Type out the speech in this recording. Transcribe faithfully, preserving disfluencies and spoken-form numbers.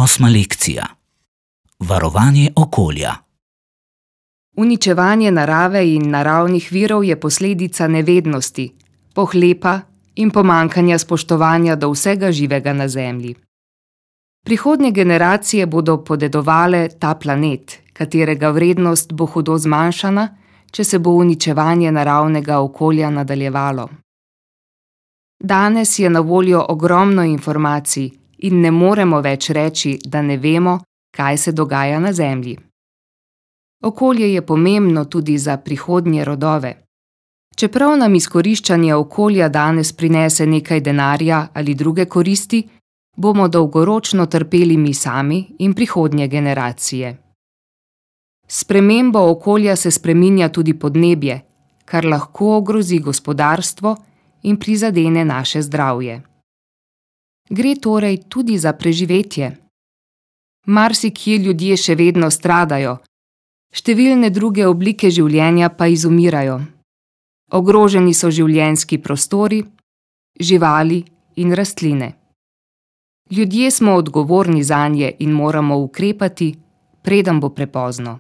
Osma lekcija. Varovanje okolja. Uničevanje narave in naravnih virov je posledica nevednosti, pohlepa in pomanjkanja spoštovanja do vsega živega na Zemlji. Prihodnje generacije bodo podedovale ta planet, katerega vrednost bo hudo zmanjšana, če se bo uničevanje naravnega okolja nadaljevalo. Danes je na voljo ogromno informacij in ne moremo več reči, da ne vemo, kaj se dogaja na Zemlji. Okolje je pomembno tudi za prihodnje rodove. Čeprav nam izkoriščanje okolja danes prinese nekaj denarja ali druge koristi, bomo dolgoročno trpeli mi sami in prihodnje generacije. S spremembo okolja se spreminja tudi podnebje, kar lahko ogrozi gospodarstvo in prizadene naše zdravje. Gre torej tudi za preživetje. Marsikje ljudje še vedno stradajo, številne druge oblike življenja pa izumirajo. Ogroženi so življenjski prostori, živali in rastline. Ljudje smo odgovorni zanje in moramo ukrepati, preden bo prepozno.